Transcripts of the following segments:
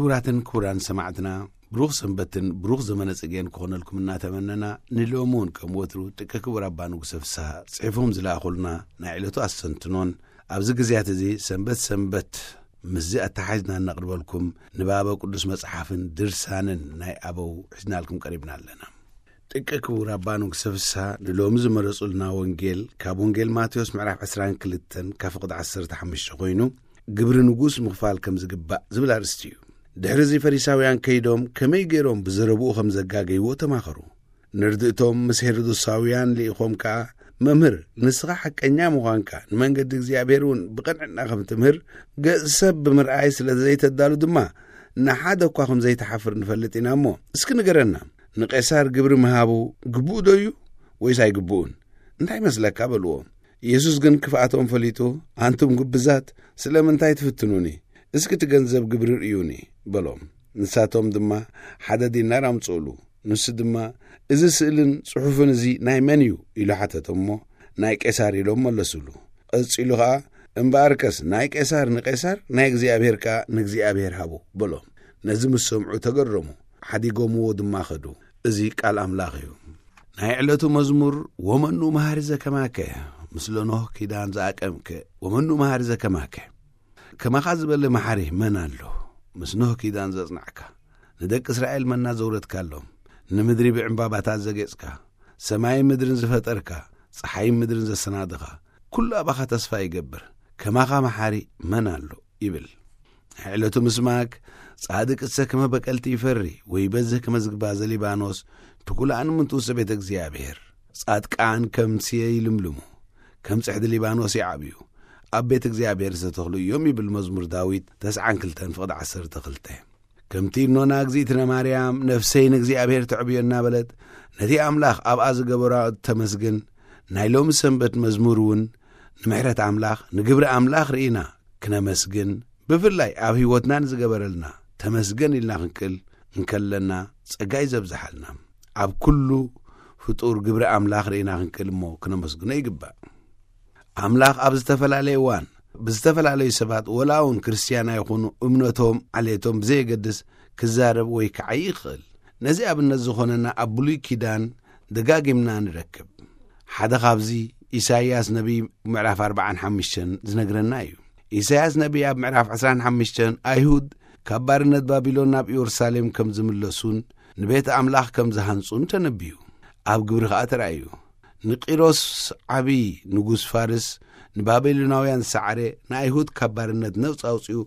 ክቡራትን ክቡራን ሰማዕትና፣ ብሩኽ ሰንበትን ብሩኽ ዘመነ ጽጌን ክኾነልኩም እናተመነና፣ ንሎሚ እውን ከም ወትሩ ጥቀ ክቡር ኣባ ንጉሰ ፍስሃ ጽሒፎም ዝለኣኹልና ናይ ዕለቱ ኣስተንትኖን፣ ኣብዚ ግዜያት እዚ ሰንበት ሰንበት ምስዚ ኣተሓሒዝና እነቕርበልኩም ንባበ ቅዱስ መጽሓፍን ድርሳንን ናይ ኣበው ሒዝናልኩም ቀሪብና ኣለና። ጥቀ ክቡር ኣባ ንጉሰ ፍስሃ ንሎሚ ዝመረጹልና ወንጌል ካብ ወንጌል ማቴዎስ ምዕራፍ ዕስራን ክልተን ካብ ፍቕዲ ዓሰርተ ሓሙሽተ ኮይኑ፣ ግብሪ ንጉስ ምኽፋል ከም ዝግባእ ዝብል ኣርእስቲ እዩ። ድሕሪ እዚ ፈሪሳውያን ከይዶም ከመይ ገይሮም ብዘረብኡ ከም ዘጋገይዎ ተማኸሩ። ንርድእቶም ምስ ሄሮዶሳውያን ልኢኾም ከኣ፣ "መምህር፣ ንስኻ ሓቀኛ ምዃንካ፣ ንመንገዲ እግዚኣብሔር እውን ብቕንዕና ከም ትምህር፣ ገጽ ሰብ ብምርኣይ ስለ ዘይተዳሉ ድማ፣ ንሓደ እኳ ከም ዘይትሓፍር ንፈልጥ ኢና እሞ፣ እስኪ ንገረና፣ ንቄሳር ግብሪ ምሃቡ ግቡእ ዶ እዩ ወይስ ኣይግብኡን? እንታይ ይመስለካ?" በልዎ። ኢየሱስ ግን ክፍኣቶም ፈሊጡ፣ "ኣንቱም ግብዛት፣ ስለምንታይ ትፍትኑኒ? እስኪ እቲ ገንዘብ ግብሪ ርእዩኒ" በሎም። ንሳቶም ድማ ሓደ ዲናር ኣምጽኡሉ። ንሱ ድማ፣ "እዚ ስእልን ጽሑፍን እዚ ናይ መን እዩ?" ኢሉ ሓተቶም እሞ፣ "ናይ ቄሳር" ኢሎም መለሱሉ። ቀጺሉ ኸኣ፣ "እምበኣርከስ ናይ ቄሳር ንቄሳር፣ ናይ እግዚኣብሔር ከኣ ንእግዚኣብሔር ሃቡ" በሎም። ነዚ ምስ ሰምዑ ተገረሙ፣ ሓዲጎምዎ ድማ ኸዱ። እዚ ቃል ኣምላኽ እዩ። ናይ ዕለቱ መዝሙር፣ "ወመኑ መሃሪ ዘከማከ፣ ምስለ ኖህ ኪዳን ዝኣቀምከ፣ ወመኑ መሃሪ ዘከማከ?" ከማኻ ዝበለ መሓሪ መን ኣሎ? ምስ ኖህ ኪዳን ዘጽናዕካ፣ ንደቂ እስራኤል መና ዘውረድካሎም፣ ንምድሪ ብዕምባባታት ዘጌጽካ፣ ሰማይን ምድርን ዝፈጠርካ፣ ጸሓይን ምድርን ዘሰናድኻ፣ ኩሉ ኣባኻ ተስፋ ይገብር። ከማኻ መሓሪ መን ኣሎ? ይብል። ናይ ዕለቱ ምስማክ፣ "ጻድቅ እሰ ከመ በቀልቲ ይፈሪ፣ ወይ በዝህ ከመ ዝግባ ዘሊባኖስ፣ ትኩላን ምንቱ ውሰ ቤተ እግዚኣብሔር። ጻድቃን ከም ስየ ይልምልሙ፣ ከም ጽሕዲ ሊባኖስ ይዓብዩ፣ ኣብ ቤት እግዚኣብሔር ዝተተኽሉ እዮም" ይብል መዝሙር ዳዊት ተስዓን ክልተን ፍቕዲ ዓሰርተ ክልተ። ከምቲ እኖና፣ "እግዚኣብትነ ማርያም ነፍሰይ ንእግዚኣብሔር ተዕብዮ" እናበለት ነቲ ኣምላኽ ኣብኣ ዝገበራ ተመስግን፣ ናይ ሎሚ ሰንበት መዝሙር እውን ንምሕረት ኣምላኽ፣ ንግብሪ ኣምላኽ ርኢና ክነመስግን፣ ብፍላይ ኣብ ህይወትና ንዝገበረልና ተመስገን ኢልና ክንክእል እንከለና፣ ጸጋ እዩ ዘብዝሓልና። ኣብ ኩሉ ፍጡር ግብሪ ኣምላኽ ርኢና ክንክእል እሞ ክነመስግኖ ይግባእ። ኣምላኽ ኣብ ዝተፈላለየ እዋን ብዝተፈላለዩ ሰባት፣ ወላ እውን ክርስትያን ኣይኹኑ፣ እምነቶም፣ ዓሌቶም ብዘየገድስ ክዛረብ ወይ ክዓዪ ይኽእል። ነዚ ኣብነት ዝኾነና ኣብ ብሉይ ኪዳን ደጋጊምና ንረክብ። ሓደ ካብዚ ኢሳይያስ ነቢይ ምዕራፍ ኣርባዓን ሓሙሽተን ዝነግረና እዩ። ኢሳይያስ ነቢይ ኣብ ምዕራፍ ዕስራን ሓሙሽተን ኣይሁድ ካብ ባርነት ባቢሎን ናብ ኢየሩሳሌም ከም ዝምለሱን ንቤት ኣምላኽ ከም ዝሃንጹን ተነብዩ። ኣብ ግብሪ ኸኣ ተራእዩ። ንቂሮስ ዓቢ ንጉስ ፋርስ ንባቢሎናውያን ዝሰዓረ፣ ንኣይሁድ ካብ ባርነት ነጻ ኣውጺኡ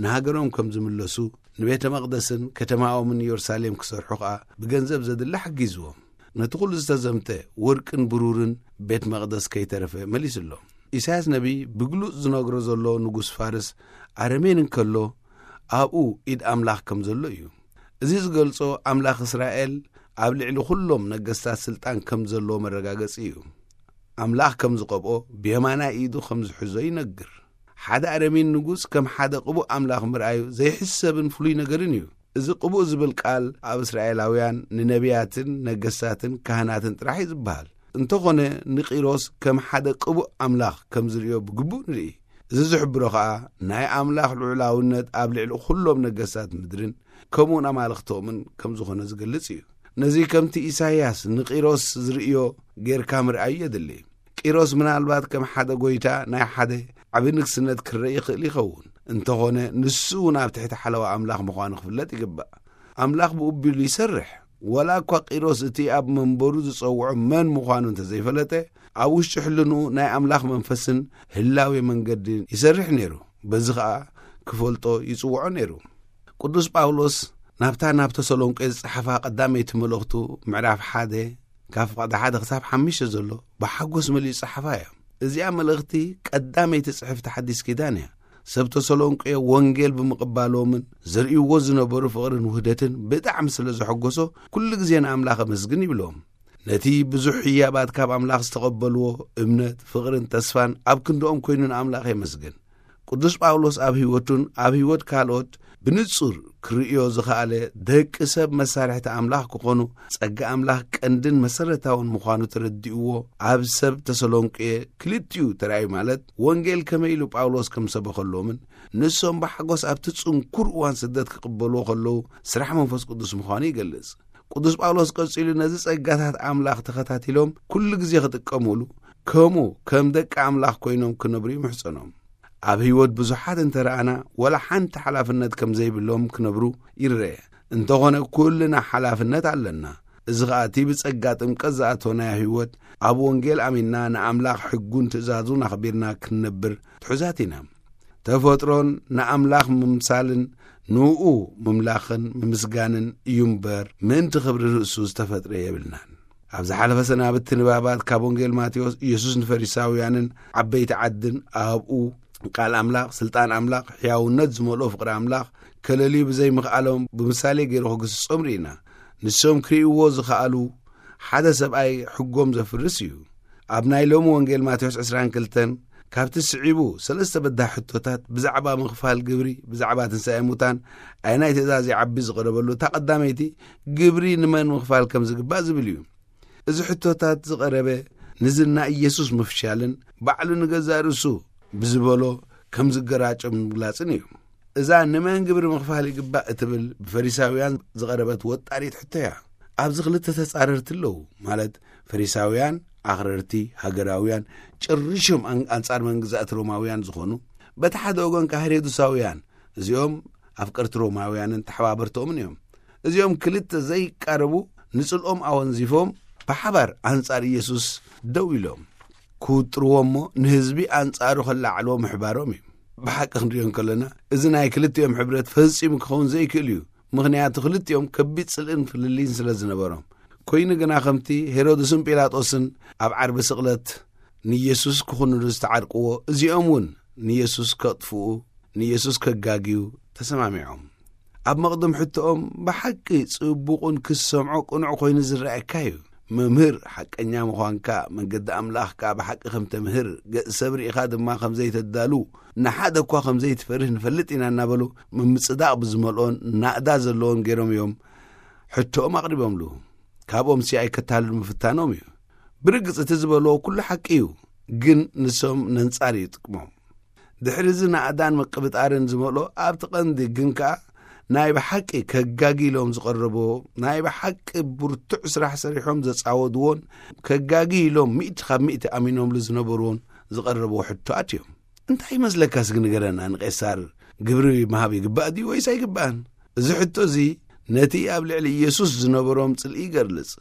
ንሃገሮም ከም ዝምለሱ፣ ንቤተ መቕደስን ከተማኦምን ኢየሩሳሌም ክሰርሑ ኸኣ ብገንዘብ ዘድሊ ሓጊዝዎም። ነቲ ኹሉ ዝተዘምተ ወርቅን ብሩርን ቤት መቕደስ ከይተረፈ መሊስሎም። ኢሳያስ ነቢይ ብግሉጽ ዝነግሮ ዘሎ ንጉስ ፋርስ ኣረሜን እንከሎ፣ ኣብኡ ኢድ ኣምላኽ ከም ዘሎ እዩ። እዚ ዝገልጾ፣ ኣምላኽ እስራኤል ኣብ ልዕሊ ኹሎም ነገስታት ስልጣን ከም ዘለዎ መረጋገጺ እዩ። ኣምላኽ ከም ዝቐብኦ፣ ብየማናይ ኢዱ ከም ዝሕዞ ይነግር። ሓደ ኣረሜን ንጉስ ከም ሓደ ቅቡእ ኣምላኽ ምርኣዩ ዘይሕሰብን ፍሉይ ነገርን እዩ። እዚ ቅቡእ ዝብል ቃል ኣብ እስራኤላውያን ንነቢያትን ነገስታትን ካህናትን ጥራሕ እዩ ዝበሃል። እንተኾነ፣ ንቂሮስ ከም ሓደ ቅቡእ ኣምላኽ ከም ዝርእዮ ብግቡእ ንርኢ። እዚ ዝሕብሮ ኸኣ፣ ናይ ኣምላኽ ልዑላውነት ኣብ ልዕሊ ኹሎም ነገስታት ምድርን ከምኡውን ኣማልኽቶምን ከም ዝኾነ ዝገልጽ እዩ። ነዚ ከምቲ ኢሳይያስ ንቂሮስ ዝርእዮ ጌርካ ምርኣዩ የድሊ። ቂሮስ ምናልባት ከም ሓደ ጎይታ ናይ ሓደ ዓቢ ንግስነት ክረአ ይኽእል ይኸውን። እንተኾነ፣ ንሱ እውን ኣብ ትሕቲ ሓለዋ ኣምላኽ ምዃኑ ክፍለጥ ይግባእ። ኣምላኽ ብኡ ኣቢሉ ይሰርሕ። ዋላ እኳ ቂሮስ እቲ ኣብ መንበሩ ዝጸውዖ መን ምዃኑ እንተዘይፈለጠ፣ ኣብ ውሽጢ ሕልንኡ ናይ ኣምላኽ መንፈስን ህላዌ መንገድን ይሰርሕ ነይሩ። በዚ ኸኣ ክፈልጦ ይጽውዖ ነይሩ። ቅዱስ ጳውሎስ ናብታ ናብ ተሰሎንቄ ዝጸሓፋ ቀዳመይቲ መልእኽቱ ምዕራፍ ሓደ ካብ ፍቕዲ ሓደ ክሳብ ሓሙሽተ ዘሎ ብሓጎስ መሊኡ ዝጸሓፋ እያ። እዚኣ መልእኽቲ ቀዳመይቲ ጽሕፍቲ ሓዲስ ኪዳን እያ። ሰብ ተሰሎንቄ ወንጌል ብምቕባሎምን ዘርእይዎ ዝነበሩ ፍቕርን ውህደትን ብጣዕሚ ስለ ዘሐጎሶ፣ ኩሉ ግዜ ንኣምላኽ ኣመስግን ይብሎም። ነቲ ብዙሕ ህያባት ካብ ኣምላኽ ዝተቐበልዎ እምነት፣ ፍቕርን ተስፋን ኣብ ክንድኦም ኮይኑ ንኣምላኽ የመስግን። ቅዱስ ጳውሎስ ኣብ ህይወቱን ኣብ ህይወት ካልኦት ብንጹር ክርእዮ ዝኸኣለ፣ ደቂ ሰብ መሳርሕቲ ኣምላኽ ክኾኑ፣ ጸጋ ኣምላኽ ቀንድን መሰረታውን ምዃኑ ተረዲእዎ፣ ኣብ ሰብ ተሰሎንቄ ክልቲኡ ተራእዩ፣ ማለት ወንጌል ከመይ ኢሉ ጳውሎስ ከም ሰበኸሎምን ንሶም ብሓጎስ ኣብቲ ጽንኩር እዋን ስደት ክቕበልዎ ከለዉ ስራሕ መንፈስ ቅዱስ ምዃኑ ይገልጽ። ቅዱስ ጳውሎስ ቀጺሉ ነዚ ጸጋታት ኣምላኽ ተኸታቲሎም ኩሉ ግዜ ክጥቀሙሉ፣ ከምኡ ከም ደቂ ኣምላኽ ኮይኖም ክነብሩ ይምሕጸኖም። ኣብ ህይወት ብዙሓት እንተ ረኣና፣ ወላ ሓንቲ ሓላፍነት ከም ዘይብሎም ክነብሩ ይረአ። እንተኾነ ኩልና ሓላፍነት ኣለና። እዚ ኸኣ እቲ ብጸጋ ጥምቀት ዝኣተወናዮ ህይወት፣ ኣብ ወንጌል ኣሚንና ንኣምላኽ ሕጉን ትእዛዙን ኣኽቢርና ክንነብር ትሑዛት ኢና። ተፈጥሮን ንኣምላኽ ምምሳልን ንኡ ምምላኽን ምምስጋንን እዩ እምበር፣ ምእንቲ ክብሪ ርእሱ ዝተፈጥረ የብልናን። ኣብ ዝሓለፈ ሰናብቲ ንባባት ካብ ወንጌል ማቴዎስ፣ ኢየሱስ ንፈሪሳውያንን ዓበይቲ ዓድን ኣብኡ ቃል ኣምላኽ፣ ስልጣን ኣምላኽ፣ ሕያውነት ዝመልኦ ፍቕሪ ኣምላኽ ከለልዩ ብዘይምኽኣሎም ብምሳሌ ገይሩ ክግስጾም ርኢና። ንሶም ክርእይዎ ዝኸኣሉ ሓደ ሰብኣይ ሕጎም ዘፍርስ እዩ። ኣብ ናይ ሎሚ ወንጌል ማቴዎስ ዕስራን ክልተን ካብቲ ስዒቡ ሰለስተ በዳህ ሕቶታት ብዛዕባ ምኽፋል ግብሪ፣ ብዛዕባ ትንሳኤ ሙታን፣ ኣየናይ ትእዛዝ ይዓቢ ዝቐረበሉ፣ እታ ቀዳመይቲ ግብሪ ንመን ምኽፋል ከም ዝግባእ ዝብል እዩ። እዚ ሕቶታት ዝቐረበ ንዝና ኢየሱስ ምፍሻልን ባዕሉ ንገዛእ ርእሱ ብዝበሎ ከም ዝገራጨም ምግላጽን እዩ። እዛ ንመን ግብሪ ምኽፋል ይግባእ እትብል ብፈሪሳውያን ዝቐረበት ወጣሪት ሕቶ እያ። ኣብዚ ክልተ ተጻረርቲ ኣለዉ፣ ማለት ፈሪሳውያን ኣኽረርቲ ሃገራውያን፣ ጭርሾም ኣን-፣ ኣንጻር መንግዛእቲ ሮማውያን ዝኾኑ፣ በቲ ሓደ ወገን ከኣ ሄሮድሳውያን፣ እዚኦም ኣፍቀርቲ ሮማውያንን ተሓባበርቶምን እዮም። እዚኦም ክልተ ዘይቃረቡ ንጽልኦም ኣወንዚፎም ብሓባር ኣንጻር ኢየሱስ ደው ኢሎም ክውጥርዎ እሞ ንህዝቢ ኣንጻሩ ከላዕልዎ ምሕባሮም እዩ። ብሓቂ ክንሪኦ እንከለና፣ እዚ ናይ ክልቲኦም ሕብረት ፈጺሙ ክኸውን ዘይክእል እዩ። ምኽንያቱ ክልቲኦም ከቢድ ጽልእን ፍልልይን ስለ ዝነበሮም። ኮይኑ ግና ከምቲ ሄሮድስን ጲላጦስን ኣብ ዓርቢ ስቕለት ንኢየሱስ ክኹንኑ ዝተዓርቅዎ፣ እዚኦም እውን ንኢየሱስ ከጥፍኡ፣ ንኢየሱስ ከጋግዩ ተሰማሚዖም። ኣብ መቕድም ሕቶኦም ብሓቂ ጽቡቕን ክሰምዖ ቅኑዕ ኮይኑ ዝረኣየካ እዩ። መምህር ሓቀኛ ምዃንካ፣ መንገዲ ኣምላኽ ከኣ ብሓቂ ከም ተምህር፣ ገጽ ሰብ ርኢኻ ድማ ከም ዘይተዳሉ፣ ንሓደ እኳ ከም ዘይትፈርህ ንፈልጥ ኢና እናበሉ ምምጽዳቕ ብዝመልኦን ናእዳ ዘለዎን ገይሮም እዮም ሕቶኦም ኣቕሪቦምሉ። ካብኦምሲ ኣይከታልሉ ምፍታኖም እዩ። ብርግጽ እቲ ዝበልዎ ኩሉ ሓቂ እዩ፣ ግን ንሶም ነንጻር እዩ ጥቅሞም። ድሕሪ እዚ ናእዳን ምቅብጣርን ዝመልኦ ኣብቲ ቀንዲ ግን ከኣ ናይ ብሓቂ ከጋጊሎም ዝቐረቦ፣ ናይ ብሓቂ ብርቱዕ ስራሕ ሰሪሖም ዘጻወድዎን ከጋጊ ኢሎም ሚእቲ ካብ ሚእቲ ኣሚኖምሉ ዝነበርዎን ዝቐረብዎ ሕቶኣት እዮም። እንታይ ይመስለካ እስኪ ንገረና፣ ንቄሳር ግብሪ ምሃብ ይግባእ ድዩ ወይስ ኣይግባእን? እዚ ሕቶ እዚ ነቲ ኣብ ልዕሊ ኢየሱስ ዝነበሮም ጽልኢ ይገልጽ።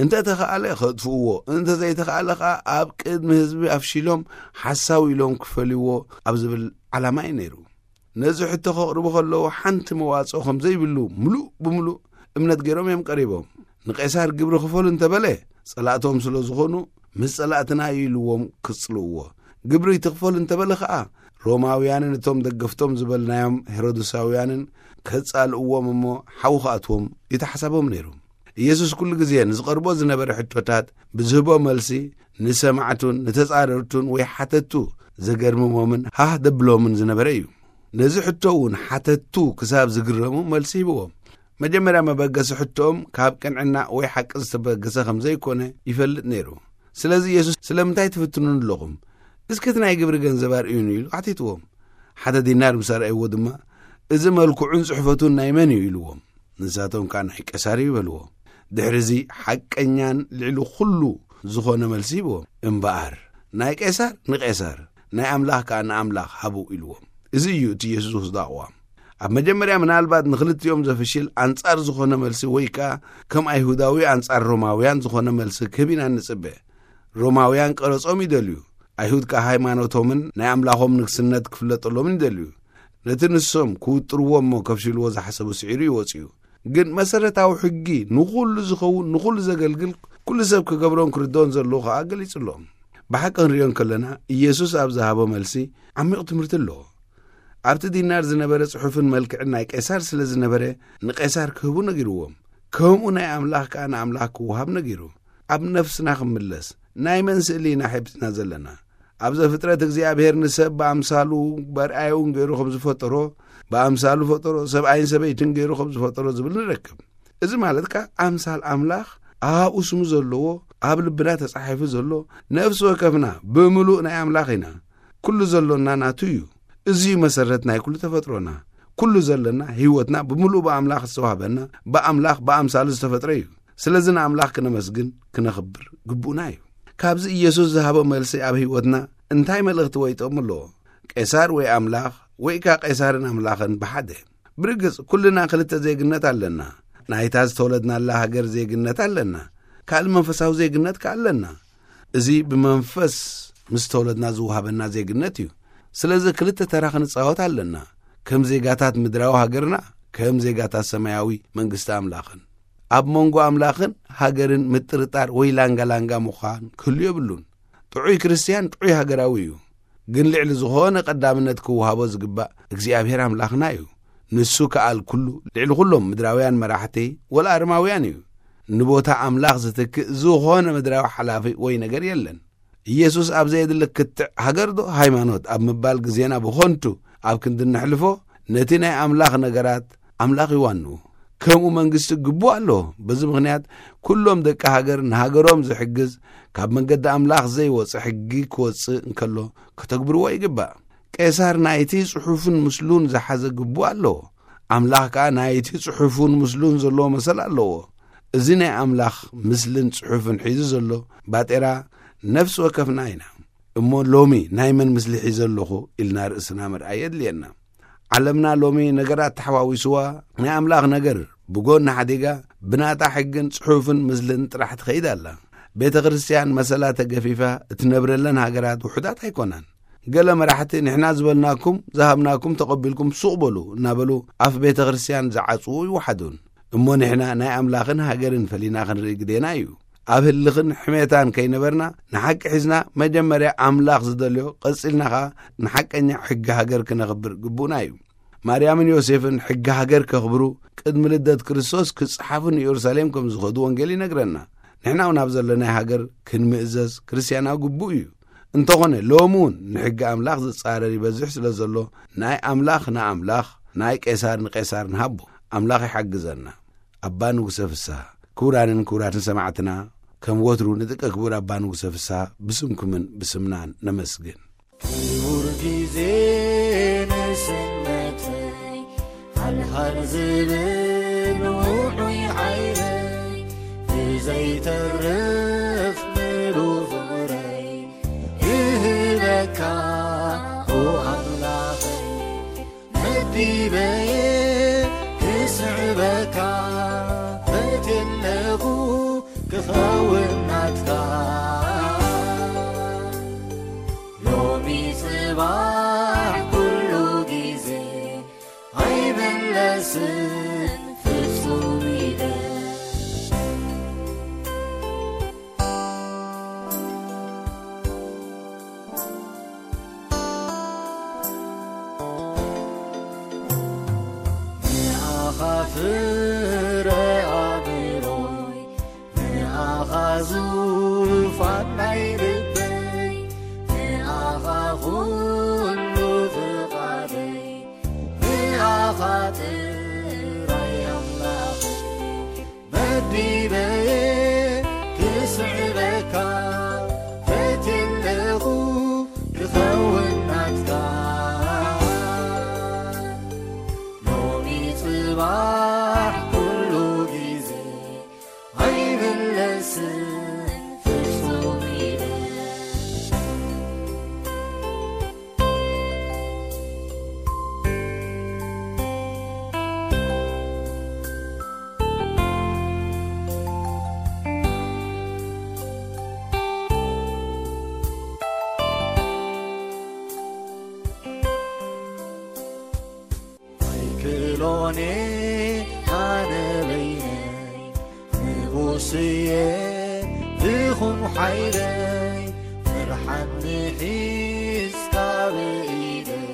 እንተ ተኻእለ ከጥፍእዎ፣ እንተ ዘይተኻእለ ኸኣ ኣብ ቅድሚ ህዝቢ ኣፍሺሎም ሓሳዊ ኢሎም ክፈልይዎ ኣብ ዝብል ዓላማ እዩ ነይሩ። ነዚ ሕቶ ከቕርቡ ከለዉ ሓንቲ መዋጽኦ ከም ዘይብሉ ምሉእ ብምሉእ እምነት ገይሮም እዮም ቀሪቦም። ንቄሳር ግብሪ ክፈሉ እንተበለ ጸላእቶም ስለ ዝኾኑ ምስ ጸላእትና እዩ ኢልዎም ክጽልእዎ። ግብሪ ትኽፈሉ እንተበለ ኸኣ ሮማውያንን እቶም ደገፍቶም ዝበልናዮም ሄሮድሳውያንን ከጻልእዎም እሞ ሓዊ ክኣትዎም እዩ ተሓሳቦም ነይሩ። ኢየሱስ ኩሉ ግዜ ንዝቐርቦ ዝነበረ ሕቶታት ብዝህቦ መልሲ ንሰማዕቱን ንተጻረርቱን ወይ ሓተቱ ዘገርምሞምን ሃህ ደብሎምን ዝነበረ እዩ። ነዚ ሕቶ እውን ሓተቱ ክሳብ ዝግረሙ መልሲ ሂብዎም። መጀመርያ መበገሲ ሕቶኦም ካብ ቅንዕና ወይ ሓቂ ዝተበገሰ ከም ዘይኮነ ይፈልጥ ነይሩ። ስለዚ ኢየሱስ ስለምንታይ ትፍትኑን ኣለኹም? እስኪ እቲ ናይ ግብሪ ገንዘብ ኣርእዩኒ ኢሉ ኣሕቲትዎም። ሓደ ዲናር ምስ ኣርኣይዎ ድማ፣ እዚ መልክዑን ጽሕፈቱን ናይ መን እዩ ኢልዎም። ንሳቶም ከኣ ናይ ቄሳር እዩ በልዎ። ድሕሪ እዚ ሓቀኛን ልዕሊ ኩሉ ዝኾነ መልሲ ሂብዎም። እምበኣር ናይ ቄሳር ንቄሳር፣ ናይ ኣምላኽ ከኣ ንኣምላኽ ሃቡ ኢልዎም። እዚ እዩ እቲ ኢየሱስ ዝወስዶ ኣቕዋም። ኣብ መጀመርያ ምናልባት ንኽልቲኦም ዘፍሽል ኣንጻር ዝኾነ መልሲ ወይ ከኣ ከም ኣይሁዳዊ ኣንጻር ሮማውያን ዝኾነ መልሲ ክህብ ኢና ንጽበ። ሮማውያን ቀረጾም ይደልዩ፣ ኣይሁድ ከኣ ሃይማኖቶምን ናይ ኣምላኾም ንግስነት ክፍለጠሎምን ይደልዩ። ነቲ ንሶም ክውጥርዎ እሞ ከፍሽልዎ ዝሓሰቡ ስዒሩ እዩ ወጺኡ። ግን መሰረታዊ ሕጊ ንኹሉ ዝኸውን ንኹሉ ዘገልግል ኩሉ ሰብ ክገብሮን ክርድኦን ዘለዎ ከኣ ገሊጹሎም። ብሓቂ ክንሪኦ እንከለና ኢየሱስ ኣብ ዝሃቦ መልሲ ዓሚቕ ትምህርቲ ኣለዎ። ኣብቲ ዲናር ዝነበረ ጽሑፍን መልክዕን ናይ ቄሳር ስለ ዝነበረ ንቄሳር ክህቡ ነጊርዎም። ከምኡ ናይ ኣምላኽ ከኣ ንኣምላኽ ክወሃብ ነጊሩ። ኣብ ነፍስና ክንምለስ ናይ መን ስእሊ ኢና ሒዝና ዘለና? ኣብ ዘፍጥረት እግዚኣብሔር ንሰብ ብኣምሳሉ በርኣየውን ገይሩ ከም ዝፈጠሮ፣ ብኣምሳሉ ፈጠሮ፣ ሰብኣይን ሰበይትን ገይሩ ከም ዝፈጠሮ ዝብል ንረክብ። እዚ ማለት ከኣ ኣምሳል ኣምላኽ ኣብኡ ስሙ ዘለዎ፣ ኣብ ልብና ተጻሒፉ ዘሎ፣ ነፍሲ ወከፍና ብምሉእ ናይ ኣምላኽ ኢና። ኩሉ ዘሎና ናቱ እዩ። እዚ እዩ መሰረት ናይ ኩሉ ተፈጥሮና። ኩሉ ዘለና ህይወትና ብምሉእ ብኣምላኽ ዝተዋህበና፣ ብኣምላኽ ብኣምሳሉ ዝተፈጥረ እዩ። ስለዚ ንኣምላኽ ክነመስግን ክነኽብር ግቡእና እዩ። ካብዚ ኢየሱስ ዝሃቦ መልሲ ኣብ ህይወትና እንታይ መልእኽቲ ወይ ጥቕሚ ኣለዎ? ቄሳር ወይ ኣምላኽ ወይ ከኣ ቄሳርን ኣምላኽን ብሓደ። ብርግጽ ኩልና ክልተ ዜግነት ኣለና። ናይታ ዝተወለድናላ ሃገር ዜግነት ኣለና። ካልእ መንፈሳዊ ዜግነት ከኣ ኣለና። እዚ ብመንፈስ ምስ ተወለድና ዝወሃበና ዜግነት እዩ። ስለዚ ክልተ ተራ ክንጻወት ኣለና። ከም ዜጋታት ምድራዊ ሃገርና፣ ከም ዜጋታት ሰማያዊ መንግስቲ ኣምላኽን። ኣብ መንጎ ኣምላኽን ሃገርን ምጥርጣር ወይ ላንጋ ላንጋ ምዃን ክህሉ የብሉን። ጥዑይ ክርስትያን ጥዑይ ሃገራዊ እዩ። ግን ልዕሊ ዝኾነ ቀዳምነት ክወሃቦ ዝግባእ እግዚኣብሔር ኣምላኽና እዩ። ንሱ ከኣል ኩሉ ልዕሊ ኩሎም ምድራውያን መራሕቲ ወላ ኣረማውያን እዩ። ንቦታ ኣምላኽ ዝትክእ ዝኾነ ምድራዊ ሓላፊ ወይ ነገር የለን። ኢየሱስ ኣብ ዘየድሊ ክትዕ ሃገር ዶ ሃይማኖት ኣብ ምባል ግዜና ብኾንቱ ኣብ ክንዲ ነሕልፎ፣ ነቲ ናይ ኣምላኽ ነገራት ኣምላኽ ይዋንኡ። ከምኡ መንግስቲ ግቡእ ኣለዎ። በዚ ምኽንያት ኩሎም ደቂ ሃገር ንሃገሮም ዝሕግዝ፣ ካብ መንገዲ ኣምላኽ ዘይወጽእ ሕጊ ክወጽእ እንከሎ ከተግብርዎ ይግባእ። ቄሳር ናይቲ ጽሑፍን ምስሉን ዝሓዘ ግቡእ ኣለዎ። ኣምላኽ ከኣ ናይቲ ጽሑፍን ምስሉን ዘለዎ መሰል ኣለዎ። እዚ ናይ ኣምላኽ ምስልን ጽሑፍን ሒዙ ዘሎ ባጤራ ነፍሲ ወከፍና ኢና። እሞ ሎሚ ናይ መን ምስሊ ሒዘ ኣለኹ ኢልና ርእስና ምርኣይ የድልየና። ዓለምና ሎሚ ነገራት ተሓዋዊስዋ፣ ናይ ኣምላኽ ነገር ብጎኒ ሓዲጋ፣ ብናታ ሕግን ጽሑፍን ምስልን ጥራሕ ትኸይድ ኣላ። ቤተ ክርስትያን መሰላ ተገፊፋ እትነብረለን ሃገራት ውሑዳት ኣይኮናን። ገለ መራሕቲ ንሕና ዝበልናኩም፣ ዝሃብናኩም ተቐቢልኩም ሱቕ በሉ እናበሉ ኣፍ ቤተ ክርስትያን ዝዓጽዉ ይወሓዱን። እሞ ንሕና ናይ ኣምላኽን ሃገርን ፈሊና ክንርኢ ግዴና እዩ። ኣብ ህልኽን ሕሜታን ከይነበርና ንሓቂ ሒዝና መጀመርያ ኣምላኽ ዝደልዮ፣ ቀጺልና ኸኣ ንሓቀኛ ሕጊ ሃገር ክነኽብር ግቡእና እዩ። ማርያምን ዮሴፍን ሕጊ ሃገር ከኽብሩ ቅድሚ ልደት ክርስቶስ ክጽሓፉ ንኢየሩሳሌም ከም ዝኸዱ ወንጌል ይነግረና። ንሕና እውን ኣብ ዘለናይ ሃገር ክንምእዘዝ ክርስትያናዊ ግቡእ እዩ። እንተኾነ ሎሚ እውን ንሕጊ ኣምላኽ ዝጻረር ይበዝሕ ስለ ዘሎ ናይ ኣምላኽ ንኣምላኽ ናይ ቄሳር ንቄሳር ንሃቦ። ኣምላኽ ይሓግዘና። ኣባ ንጉሰ ፍስሃ። ክቡራንን ክቡራትን ሰማዕትና፣ ከም ወትሩ ንጥቀ ክቡር ኣባ ንጉሰ ፍስሃ ብስምኩምን ብስምናን ነመስግን። ክቡር ግዜ ንስነተይ፣ ሃልሃል ዝብል ውዑይ ዓይነይ፣ ብዘይተርፍ ምሉእ ፍቕረይ እህበካ፣ ኦ ኣምላኸይ። መዲበየ ክስዕበካ ፈትየለኹ ክኸውን ናትካ። ሎሚ ጽባሕ ኩሉ ግዜ ኣይምለስን ፍጹም ኢለ። ንኣኻ ፍረ ኣእምሮይ፣ ንኣኻ ዙፋን ናይ ልበይ፣ ንኣኻ ኩሉ ፍቓደይ፣ ንኣኻ ጥራይ ኣምላኸይ። መዲበየ ክስዕበካ ፈትየለኹ ክኸውን ናትካ። ሎሚ ጽባሕ ኩሉ ግዜ ኣይምለስን ፍጹም ኢለ። ኣይክእሎን ኣነ በይነይ፣ ንኡስየ ትኹን ሓይለይ፣ ምርሓኒ ሒዝካ ብኢደይ፣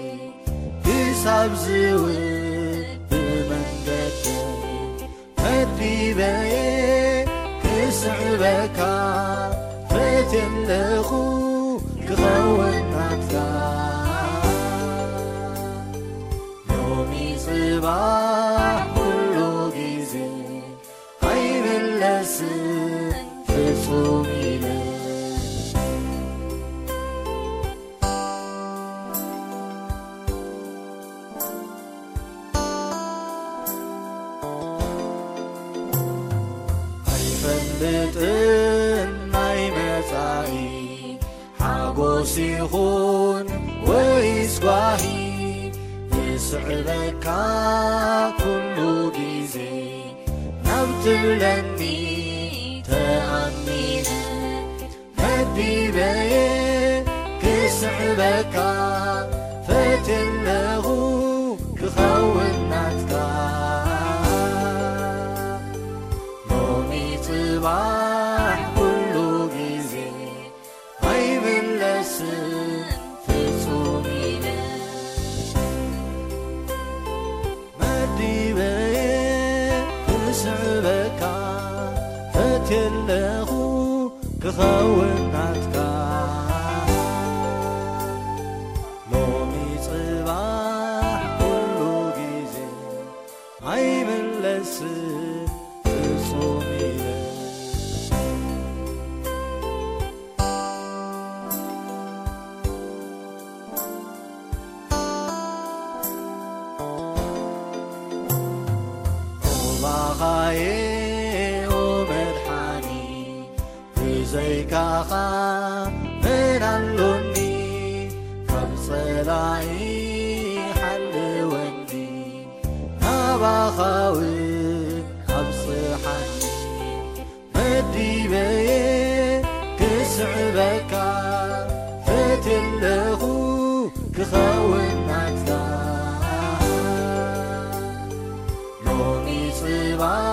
ክሳብ ዝውድ ብመንገደይ፣ መዲበየ ክስዕበካ ፈትየ ኣለኹ ክኸውን ኩሉ ግዜ ኣይምለስን ፍጹም ኢለ። ኣይፈልጥን ናይ መጻኢ ሓጎስ ይኹን ወይስ ጓሂ፣ ዝስዕበካ ኩሉ ግዜ ናብ ትብለኒ ተኣሚነ መዲበየ ክስዕበካ ፈትየለኹ ክኸውን ናትካ። ሎሚ ጽባሕ ኩሉ ግዜ ኣይምለስን ፍጹም ኢለ መዲበየ ክስዕበካ ፈትየለኹ ክኸውን ናትካ። ሎሚ ጽባሕ ኩሉ ግዜ ኣይምለስን ፍጹም ኢለ ሩባኻየ ኦ መድሓኒ፣ ብዘይካኻ መን ኣሎኒ? ካብ ጸላኢ ሓልወኒ፣ ናባኻውን ኣብጽሓኒ። መዲበየ ክስዕበካ ፈትየለኹ ክኸውን ናትካ። ሎሚ ጽባሕ